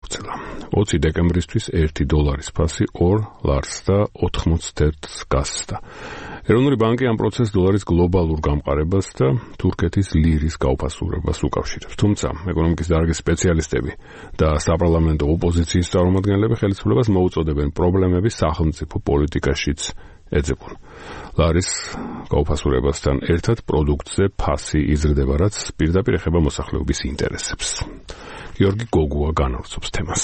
გადაგვცელა. 20 დეკემბრისთვის $1 ფასი 2 ლარს და 91 გასცდა. ეროვნული ბანკი ამ პროცესს დოლარის გლობალურ გამყარებას და თურქეთის ლირის გაუფასურებას უკავშირებს. თუმცა, ეკონომიკის დარგის სპეციალისტები და საპარლამენტო ოპოზიციის წარმომადგენლები ხელისუფლებას მოუწოდებენ პრობლემები სახელმწიფო პოლიტიკაშიც ეძებონ. ლარის გაუფასურებასთან ერთად პროდუქტზე ფასი იზრდება, რაც პირდაპირ ეხება მოსახლეობის ინტერესებს. გიორგი გოგუა განავრცობს თემას.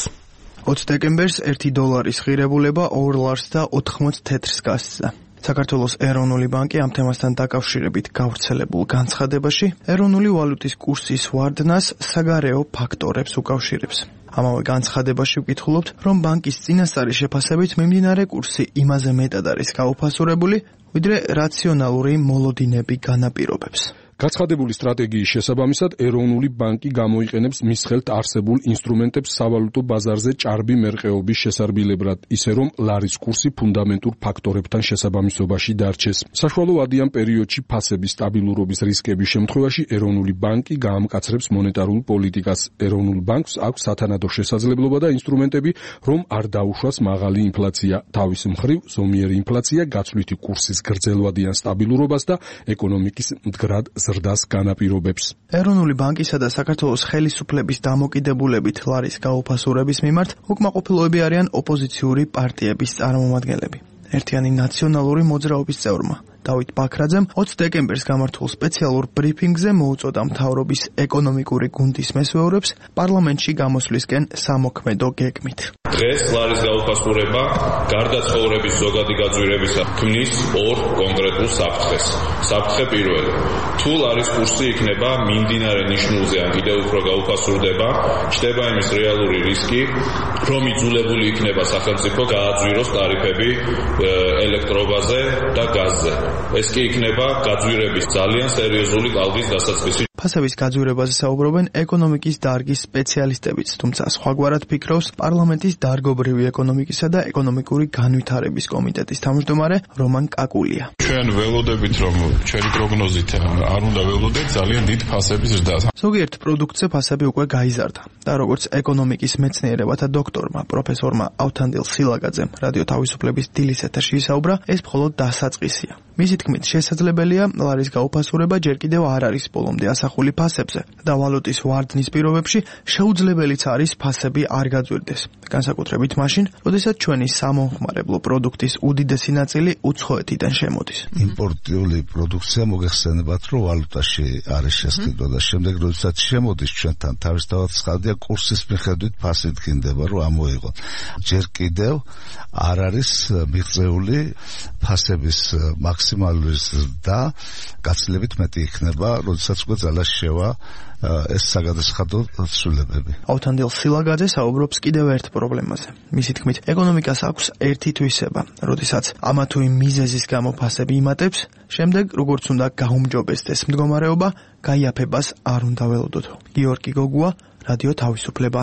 20 დეკემბერს $1 ღირებულება 2 ლარს და 94 გასცდა. საქართველოს ეროვნული ბანკი ამ თემასთან დაკავშირებით გავრცელებულ განცხადებაში ეროვნული ვალუტის კურსის ვარდნას საგარეო ფაქტორებს უკავშირებს. ამავე განცხადებაში ვკითხულობთ, რომ ბანკის წინასწარი შეფასებით მიმდინარე კურსი იმაზე მეტად არის გაუფასურებული, ვიდრე რაციონალური მოლოდინები განაპირობებს. გაცხადებული სტრატეგიის შესაბამისად ეროვნული ბანკი გამოიყენებს მის ხელთ არსებულ ინსტრუმენტებს სავალუტო ბაზარზე ჭარბი მერყეობის შესარბიებლად, ისე რომ ლარის კურსი ფუნდამენტურ ფაქტორებთან შესაბამისობაში დარჩეს. საშუალო ვადიან პერიოდში ფასების სტაბილურობის რისკების შემთხვევაში ეროვნული ბანკი გაამკაცრებს მონეტარულ პოლიტიკას. ეროვნულ ბანკს აქვს სათანადო შესაძლებლობა და ინსტრუმენტები, რომ არ დაუშვას მაღალი ინფლაცია. თავის მხრივ, ზომიერი ინფლაცია გაცვლითი კურსის გრძელვადიან სტაბილურობას და ეკონომიკის მდგრად ზრდას განაპირობებს. ეროვნული ბანკისა და საქართველოს ხელისუფლების დამოკიდებულებით ლარის გაუფასურების მიმართ უკმაყოფილოები არიან ოპოზიციური პარტიების წარმომადგენლები. ერთიანი ნაციონალური მოძრაობის წევრმა დავით ბაქრაძემ 20 დეკემბერს გამართულ სპეციალურ ბრიფინგზე მოუწოდა მთავრობის ეკონომიკური გუნდის მესვეურებს პარლამენტში გამოსვლისკენ სამოქმედო გეგმით. დღეს ლარის გაუფასურება გარდა ცხოვრების ზოგადი გაძვირებისა ქმნის ორ კონკრეტულ საფრთხეს. საფრთხე პირველი. თუ ლარის კურსი იქნება მიმდინარე ნიშნულზე ან კიდევ უფრო გაუფასურდება, ჩნდება იმის რეალური რისკი, რომ იძულებული იქნება სახელმწიფო გააძვიროს ტარიფები ელექტრობაზე და გაზზე. ეს კი იქნება გაძვირების ძალიან სერიოზული ტალღის დასაწყისი. ფასების გაძვირებაზე საუბრობენ ეკონომიკის დარგის სპეციალისტებიც, თუმცა სხვაგვარად ფიქრობს პარლამენტის დარგობრივი ეკონომიკისა და ეკონომიკური განვითარების კომიტეტის თავმჯდომარე რომან კაკულია. ჩვენ ველოდებით, რომ ჩვენი პროგნოზით არ უნდა ველოდეთ ძალიან დიდ ფასების ზრდას. ზოგიერთ პროდუქტზე ფასები უკვე გაიზარდა და როგორც ეკონომიკის მეცნიერებათა დოქტორმა პროფესორმა ავთანდილ სილაგაძემ რადიო თავისუფლების დილის ეთერში ისაუბრა, ეს მხოლოდ დასაწყისია. მისი თქმით, შესაძლებელია ლარის გაუფასურება ჯერ კიდევ არ არის ბოლომდე ასახული ფასებზე და ვალუტის ვარდნის პირობებში შეუძლებელიც არის ფასები არ გაძვირდეს. განსაკუთრებით მაშინ, როდესაც ჩვენი სამომხმარებლო პროდუქტის უდიდესი ნაწილი უცხოეთიდან შემოდის. იმპორტიული პროდუქცია მოგეხსენებათ, რომ ვალუტაში არის შესყიდვა და შემდეგ როდესაც შემოდის ჩვენთან, თავისთავად ცხადია კურსის მიხედვით ფასი დგინდება, რომ ამოიღოთ. ჯერ კიდევ არ არის მიღწეული ფასების მაქსიმალური ზრდა, გაცილებით მეტი იქნება, როდესაც უკვე ძალას შევა ეს საგადასახადო ცვლილებები. ავთანდილ სილაგაძე საუბრობს კიდევ ერთ პრობლემაზე. მისი თქმით, ეკონომიკას აქვს ერთი თვისება, როდესაც ამა თუ იმ მიზეზის გამო ფასები იმატებს, შემდეგ როგორც უნდა გაუმჯობესდეს მდგომარეობა, გაიაფებას არ უნდა ველოდოთ. გიორგი გოგუა, რადიო თავისუფლება.